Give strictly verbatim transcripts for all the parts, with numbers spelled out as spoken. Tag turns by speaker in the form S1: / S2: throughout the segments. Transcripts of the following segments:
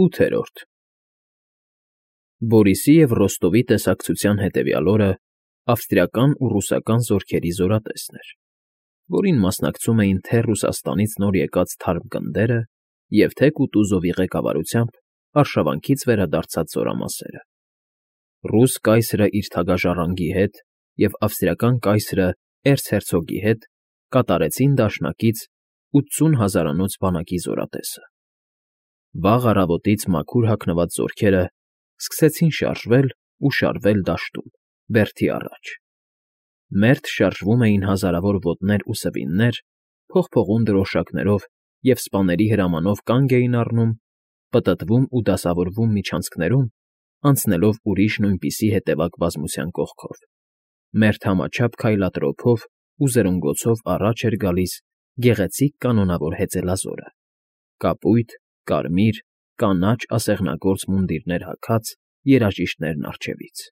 S1: ՈՒԹԵՐՈՐԴ Բորիսի և Ռոստովի տեսակցության հետևյալ օրը ավստրիական ու ռուսական զորքերի զորատեսն էր, որին մասնակցում էին թե՛ Ռուսաստանից նոր եկած թարմ գնդերը և թե՛ Կուտուզովի ղեկավարությամբ արշավանքից վերադարձած զորամասերը. ռուս կայսրը իր թագաժառանգի հետ և ավստրիական կայսրը էրցհերցոգի հետ կատարեցին դաշնակից ութսուն հազարանոց բանակի զորատեսը։ Վաղ առավոտից մաքուր հագնված զորքերն սկսեցին շարժվել ու շարվել դաշտում, բերդի առաջ. մերթ շարժվում էին հազարավոր ոտներ ու սվիններ, փողփողուն դրոշակներով և սպաների հրամանով կանգ էին առնում, պտտվում ու դասավորվում միջանցքներում, անցնելով ուրիշ նույնպիսի հետևակ բազմության կողքով, մերթ համաչափ քայլատրոփով ու զրնգոցով առաջ էր գալիս գեղեցիկ կանոնավոր հեծելազորը՝ կապույտ, կարմիր, կանաչ ասեղնագործ մունդիրներ հագած երաժիշտներն առջևից,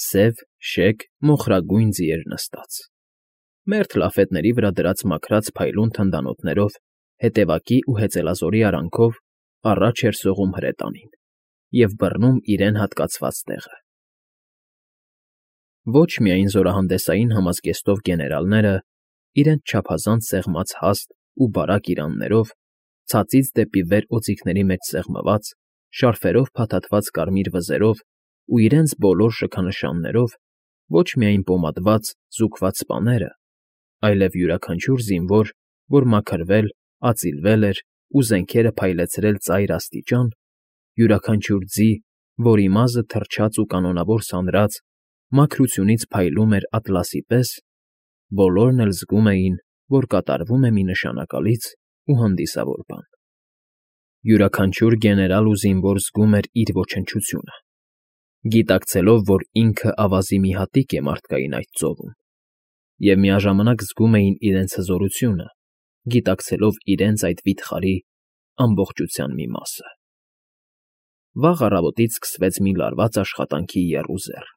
S1: սև, շեկ, մոխրագույն ձիեր նստած, մերթ լաֆետների վրա դրած մաքրած փայլուն թնդանոթներով, հետևակի ու հեծելազորի արանքով առաջ էր սողում հրետանին և բռնում իրեն հատկացված տեղը։ Ոչ միայն զորահանդեսային համազգեստով գեներալները, իրենց չափազանց սեղմած հաստ ու բարակ իրաններով, ցածից դեպի վեր օձիքների մեջ սեղմված, շարֆերով փաթաթված կարմիր վզերով ու իրենց բոլոր շքանշաններով, ոչ միայն պոմադված, զուգված սպաները, այլև յուրաքանչյուր զինվոր, որ մաքրվել, ածիլվել էր ու զենքերը փայլեցրել ծայր աստիճան, յուրաքանչյուր ձի, որի մազը թրջած ու կանոնավոր սանրած, մաքրությունից փայլում էր ատլասի պես, բոլորն էլ զգում էին, որ կատարվում է մի նշանակալից ու հանդիսավոր բան։ Յուրաքանչյուր գեներալ ու զինվոր զգում էր իր ոչնչությունը, գիտակցելով, որ ինքը ավազի մի հատիկ է մարդկային այդ ծովում, և միաժամանակ զգում էին իրենց հզորությունը, գիտակցելով իրենց այդ վիթխարի ամբողջության մի մասը։ Վաղ առավոտից սկսվեց մի լարված աշխատանքի եռուզեռ,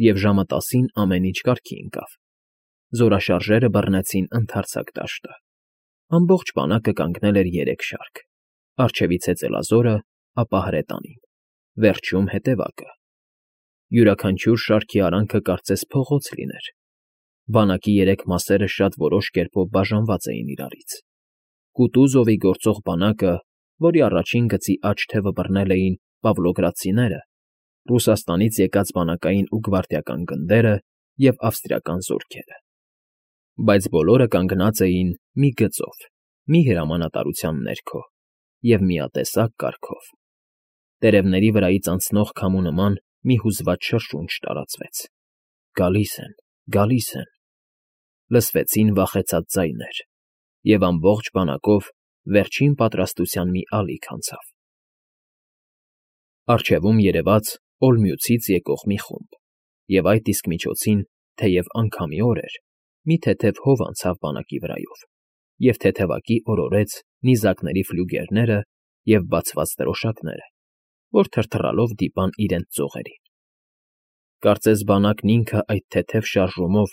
S1: և ժամը տասին ամեն ինչ կարգի ընկավ. զորաշարժերը բռնեցին ընդարձակ դաշտը, ամբողջ բանակը կանգնել էր երեք շարք, առջևից հեծելազորը, ապա հրետանին, վերջում հետևակը։ Յուրաքանչյուր շարքի արանքը կարծես փողոց լիներ, բանակի երեք մասերը շատ որոշ կերպով բաժանված էին իրարից. Կուտուզովի գործող բանակը, որի առաջին գծի աջ թևը բռնել էին պավլոգրադցիները, Ռուսաստանից եկած բանակային ու գվարդիական գնդերը և ավստրիական զորքերը։ Բայց բոլորը կանգնած էին մի գծով, մի հրամանատարության ներքո և միատեսակ կարգով։ Տերևների վրայից անցնող քամու նման մի հուզված շրշունջ տարածվեց. «Գալիս են, գալիս են»։ Լսվեցին վախեցած ձայներ, և ամբողջ բանակով վերջին պատրաստության մի ալիք անցավ։ Առջևում երևաց Օլմյուցից եկող մի խումբ, և այդ իսկ միջոցին, թեև անգամի օր էր, մի թեթև հով անցավ բանակի վրայով, և թեթևակի օրորեց նիզակների ֆլյուգերները և բացված դրոշակները, որ թրթռալով դիպան իրենց ծողերին։ Կարծես բանակն ինքը այդ թեթև շարժումով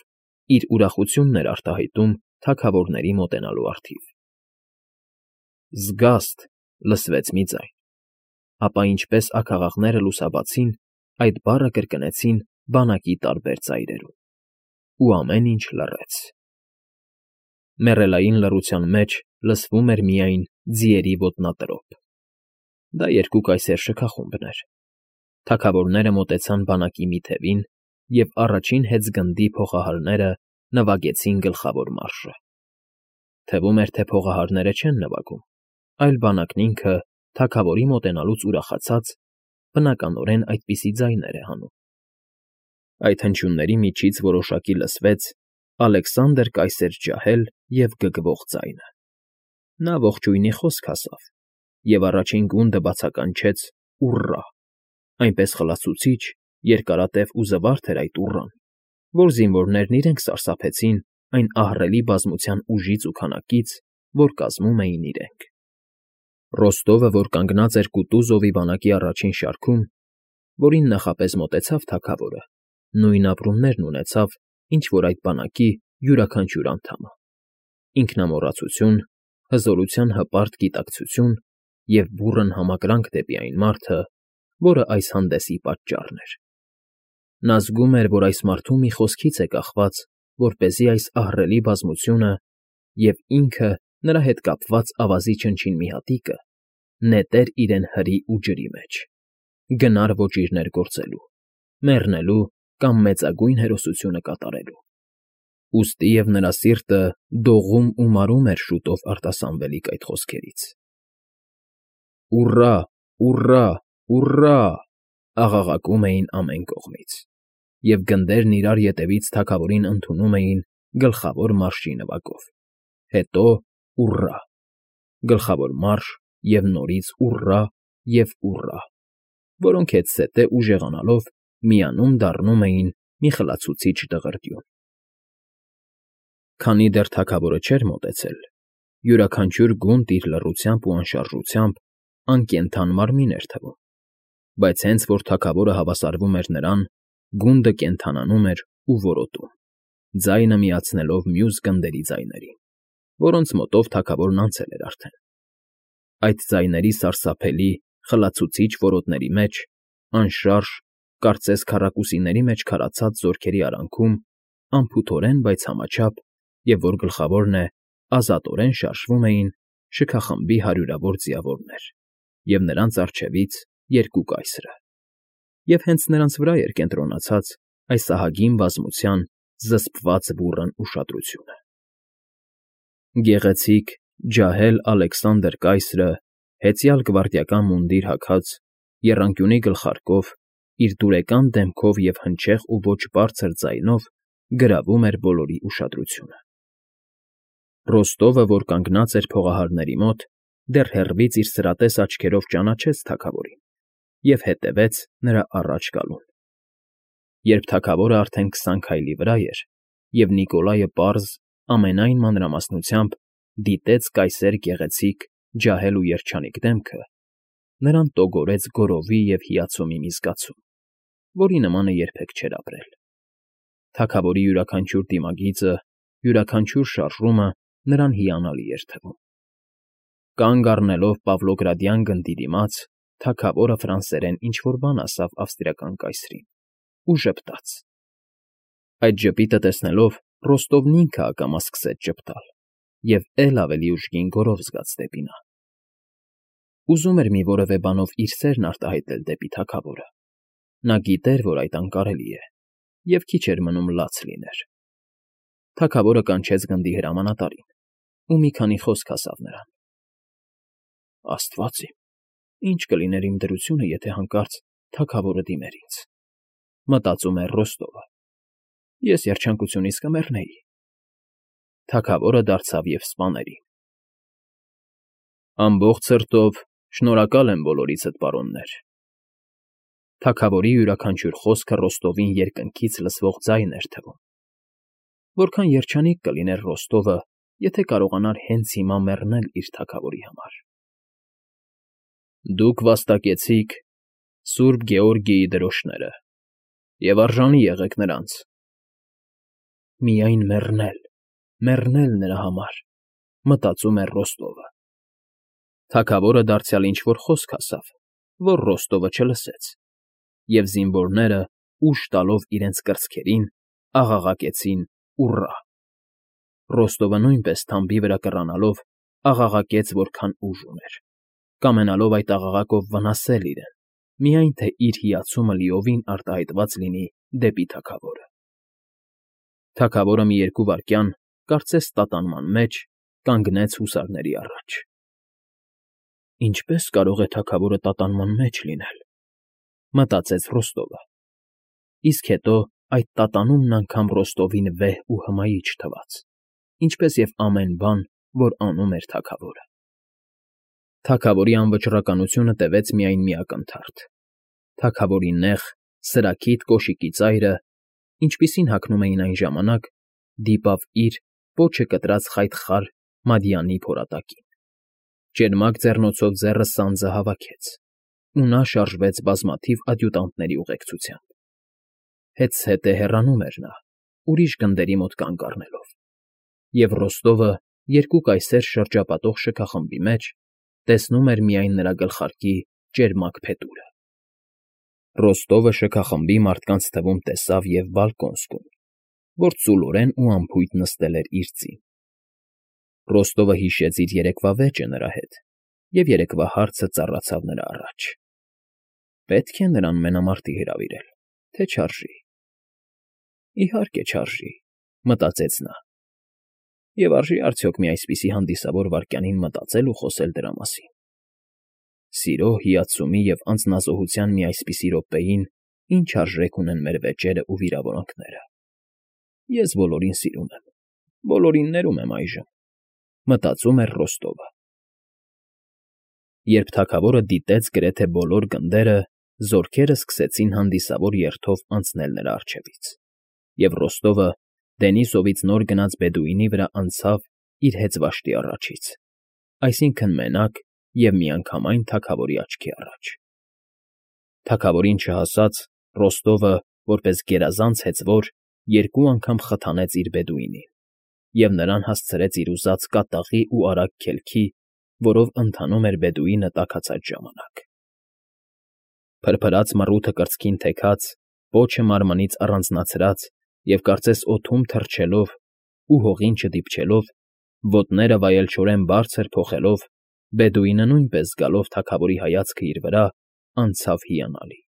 S1: իր ուրախությունն էր արտահայտում թագավորների մոտենալու առթիվ։ «Զգաստ» լսվեց մի ձայն, ապա ինչպես աքաղաղները լուսաբացին, այդ բառը կրկնեցին բանակի տարբեր ծայրերում, ու ամեն ինչ լռեց։ Մեռելային լռության մեջ լսվում էր միայն ձիերի ոտնատրոփ։ Դա երկու կայսեր շքախումբն էր։ Թագավորները մոտեցան բանակի մի թևին, և առաջին հեծգնդի փողահարները նվագեցին գլխավոր մարշը։ Թվում էր, թե փողահարները չեն նվագում, այլ բանակն ինքը, թագավորի մոտենալուց ուրախացած, բնականորեն այդպիսի ձայներ է հանում։ Այդ հնչյունների միջից որոշակի լսվեց «Ալեքսանդր կայսեր ջահել» և գգվող ձայնը։ Նա ողջույնի խոսք ասավ, և առաջին գունդը բացականչեց «ուռռա», այնպես խլացուցիչ, երկարատև ու զվարթ էր այդ «ուռռան», որ զինվորներն իրենք սարսափեցին այն ահռելի բազմության ուժից ու քանակից, որ կազմում էին իրենք։ Ռոստովը, որ կանգնած էր Կուտուզովի բանակի առաջին շարքում, որին նախապես մոտեցավ թագավորը, նույն ապրումներն ունեցավ, ինչ որ այդ բանակի յուրաքանչյուր անդամը՝ ինքնամոռացություն, հզորության հպարտ գիտակցություն և բուռն համակրանք դեպի այն մարդը, որը այս հանդեսի պատճառն էր։ Նա զգում էր, որ այս մարդու մի խոսքից է կախված, որպեսզի այս ահռելի բազմությունը և ինքը նրա հետ կապված ավազի չնչին մի հատիկը նետեր իրեն հրի ու ջրի մեջ, գնար ոճիրներ գործելու, մեռնելու կամ մեծագույն հերոսությունը կատարելու։ Ուստիև նրա սիրտը դողում ու մարում էր շուտով արտասանվելիք այդ խոսքերից։ «Ուռա, ուռա, ուռա» աղաղակում էին ամեն կողմից, և գնդերն իրար ետևից թագավորին ընդունում էին գլխավոր մարշի նվագով, հետո՝ ուռա, գլխավոր մարշ և նորից ուռա և ուռա, որոնք հետզհետե ուժեղանալով միանում դառնում էին մի խլացուցիչ դղրդյուն։ Քանի դեռ թագավորը չէր մոտեցել, յուրաքանչյուր գունդ իր լռությամբ ու անշարժությամբ անկենդան մարմին էր թվում, բայց հենց որ թագավորը հավասարվում էր նրան, գունդը կենդանանում էր ու որոտում, ձայնը միացնելով մյուս գնդերի ձայներին, որոնց մոտով թագավորն անցել էր արդեն։ Այդ ձայների սարսափելի, խլացուցիչ որոտների մեջ, անշարժ, կարծես քառակուսիների մեջ քարացած զորքերի արանքում, անփութորեն, բայց համաչափ, և որ գլխավորն է, ազատորեն շարժվում էին շքախմբի հարյուրավոր ձիավորներ և նրանց առջևից երկու կայսրը, և հենց նրանց վրա էր կենտրոնացած այս ահագին բազմության զսպված բուռն ուշադրությունը։ Գեղեցիկ, ջահել Ալեքսանդր կայսրը, հեծյալ գվարդիական մունդիր հագած, եռանկյունի գլխարկով, իր դուրեկան դեմքով և հնչեղ ու ոչ բարձր ձայնով գրավում էր բոլորի ուշադրությունը։ Ռոստովը, որ կանգնած էր փողահարների մոտ, դեռ հեռվից իր սրատես աչքերով ճանաչեց թագավորին և հետևեց նրա առաջ գալուն։ Երբ թագավորը արդեն քսան քայլի վրա էր, և Նիկոլայը պարզ, ամենայն մանրամասնությամբ դիտեց կայսեր գեղեցիկ, ջահել ու երջանիկ դեմքը, նրան տոգորեց գոռովի և հիացումի մի զգացում, որի նմանը երբեք չէր ապրել։ Թագավորի յուրաքանչյուր դիմագիծը, յուրաքանչյուր շարժումը նրան հիանալի էր թվում։ Կանգ առնելով Պավլոգրադյան գնդի դիմաց, թագավորը ֆրանսերեն ինչ֊որ բան ասավ ավստրիական կայսրին ու ժպտաց։ Այդ ժպիտը տեսնելով՝ Ռոստովն ինքը ակամա սկսեց ժպտալ և էլ ավելի ուժգին գոռով զգաց դեպի նա։ Ուզում էր մի որևէ բանով իր սերն արտահայտել դեպի թագավորը։ Նա գիտեր, որ այդ անկարելի է, և քիչ էր մնում լաց լիներ։ Թագավորը կանչեց գնդի հրամանատարին ու մի քանի խոսք ասավ նրան։ «Աստված իմ, ի՞նչ կլիներ իմ դրությունը, եթե հանկարծ թագավորը դիմեր ինձ», մտածում էր Ռոստովը։ «Ես երջանկությունից կմեռնեի»։ Թագավորը դարձավ և սպաներին. «Ամբողջ սրտով շնորհակալ եմ բոլորիցդ, պարոններ»։ Թագավորի յուրաքանչյուր խոսքը Ռոստովին երկնքից լսվող ձայն էր թվում։ Որքան երջանիկ կլիներ Ռոստովը, եթե կարողանար հենց հիմա մեռնել իր թագավորի համար։ «Դուք վաստակեցիք Սուրբ Գեորգիի դրոշները, և արժանի եղեք նրանց»։ «Միայն մեռնել, մեռնել նրա համար», մտածում էր Ռոստովը։ Թագավորը դարձյալ ինչ֊որ խոսք ասավ, որ Ռոստովը չլսեց, և զինվորները, ուժ տալով իրենց կրծքերին, աղաղակեցին «ուռա»։ Ռոստովը նույնպես թամբի վրա կռանալով աղաղակեց որքան ուժ ուներ, կամենալով այդ աղաղակով վնասել իրեն, միայն թե իր հիացումը լիովին արտահայտված լինի դեպի թագավորը։ Թագավորը մի երկու վայրկյան, կարծես տատանման մեջ, կանգնեց հուսարների առաջ։ «Ինչպե՞ս կարող է թագավորը տատանման մեջ լինել», մտածեց Ռոստովը, իսկ հետո այդ տատանումն անգամ Ռոստովին վեհ ու հմայիչ թվաց, ինչպես և ամեն բան, որ անում էր թագավորը։ Թագավորի անվճռականությունը տևեց միայն մի ակնթարթ։ Թագավորի նեղ, սրաքիթ կոշիկի ծայրը, ինչպիսին հագնում էին այն ժամանակ, դիպավ իր՝ պոչը կտրած խայտխար մադիանի փորատակին։ Ճերմակ ձեռնոցով ձեռը սանձը հավաքեց, ու նա շարժվեց բազմաթիվ ադյուտանտների ուղեկցությամբ։ Հետզհետե հեռանում էր նա, ուրիշ գնդերի մոտ կանգ առնելով, և Ռոստովը երկու կայսեր շրջապատող շքախմբի մեջ, տեսնում էր միայն նրա գլխարկի ճերմակ փետուրը։ Ռոստովը շքախմբի մարդկանց թվում տեսավ և Բալկոնսկուն, որ ծուլորեն ու անփույթ նստել էր իր ծին։ Ռոստովը հիշեց իր երեկվա վեճը նրա հետ, և երեկվա հարցը ծառացավ նրա առաջ. պետք է նրան մենամարտի հրավիրել, թե չարժի։ Իհարկե չարժի, մտածեց նա։ Եվ արժի՞ արդյոք մի այսպիսի հանդիսավոր վայրկյանին մտածել ու խոսել դրա մասին։ Սիրո, հիացումի և անձնազոհության մի այսպիսի րոպեին ինչ արժեք ունեն մեր վեճերն ու վիրավորանքները։ Ես բոլորին սիրում եմ, բոլորին ներում եմ այժմ, մտածում էր Ռոստովը։ Երբ թագավորը դիտեց գրեթե բոլոր գնդերը, զորքերը սկսեցին հանդիսավոր երթով անցնել նրա առջևից, և Ռոստովը Դենիսովից նոր գնած բեդուինի վրա անցավ իր հեծվաշտի առաջից, այսինքն՝ մենակ և միանգամայն թագավորի աչքի առաջ։ Թագավորին չհասած, Ռոստովը, որպես գերազանց հեծվոր, երկու անգամ խթանեց իր բեդուինին և նրան հասցրեց իր ուզած կատաղի ու արագ քելքի, որով ընթանում էր բեդուինը տաքացած ժամանակ։ Փրփրած մռութը կրծքին թեքած, պոչը մարմնից առանձնացրած և կարծես օդում թռչելով ու հողին չդիպչելով, ոտները վայելչորեն բարձր փոխելով, բեդուինը նույնպես զգալով թագավորի հայացքը իր վրա, անցավ հիանալի։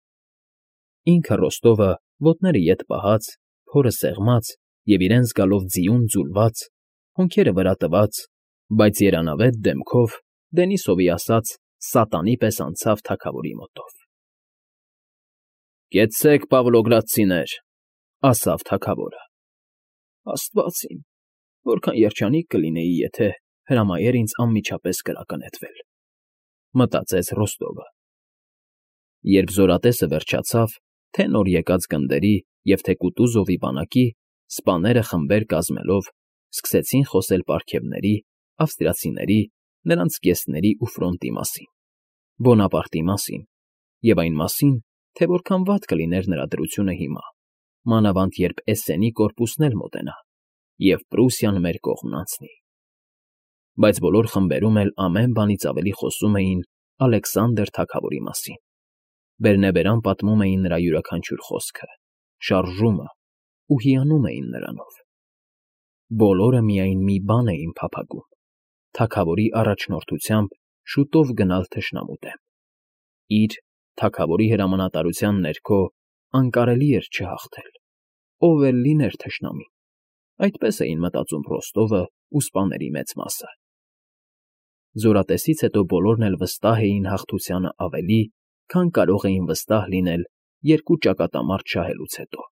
S1: Ինքը Ռոստովը, ոտները ետ պահած, փորը սեղմած և իրեն զգալով ձիուն ձուլված, հոնքերը վրա տված, բայց երանավետ դեմքով, Դենիսովի ասած, սատանի պես անցավ թագավորի մոտով։ ֊ Կեցցեք, Պավլոգրադցիներ,֊ ասավ թագավորը։ Աստված իմ, որքան երջանիկ կլինեի, եթե հրամայեր ինձ անմիջապես կրակնետվել,֊ մտածեց Ռոստովը։ Երբ զորատեսը վերջացավ, թե նոր եկած գնդերի և թե Կուտուզովի բանակի, սպաները խմբեր կազմելով սկսեցին խոսել պարգևների, ավստրիացիների, նրանց զգեստների ու ֆրոնտի մասին, Բոնապարտի մասին և այն մասին, թե որքան վատ կլիներ նրա դրությունը հիմա, մանավանդ երբ Էսսենի կորպուսն էլ մոտենա, և Պրուսիան մեր կողմն անցնի։ Բայց բոլոր խմբերում էլ ամեն բանից ավելի խոսում էին Ալեքսանդր թագավորի մասին, բերնեբերան պատմում էին նրա յուրաքանչյուր խոսքը, շարժումը ու հիանում էին նրանով։ Բոլորը միայն մի բան էին փափագում՝ թագավորի առաջնորդությամբ շուտով գնալ թշնամու դեմ։ Իր՝ թագավորի հրամանատարության ներքո անկարելի էր չհաղթել, ով էլ լիներ թշնամին, այդպես էին մտածում Ռոստովը ու սպաների մեծ մասը։ Զորատեսից հետո բոլորն էլ վստահ էին հաղթությանը ավելի, քան կարող էին վստահ լինել երկու ճակատամարտ շահելուց հետո։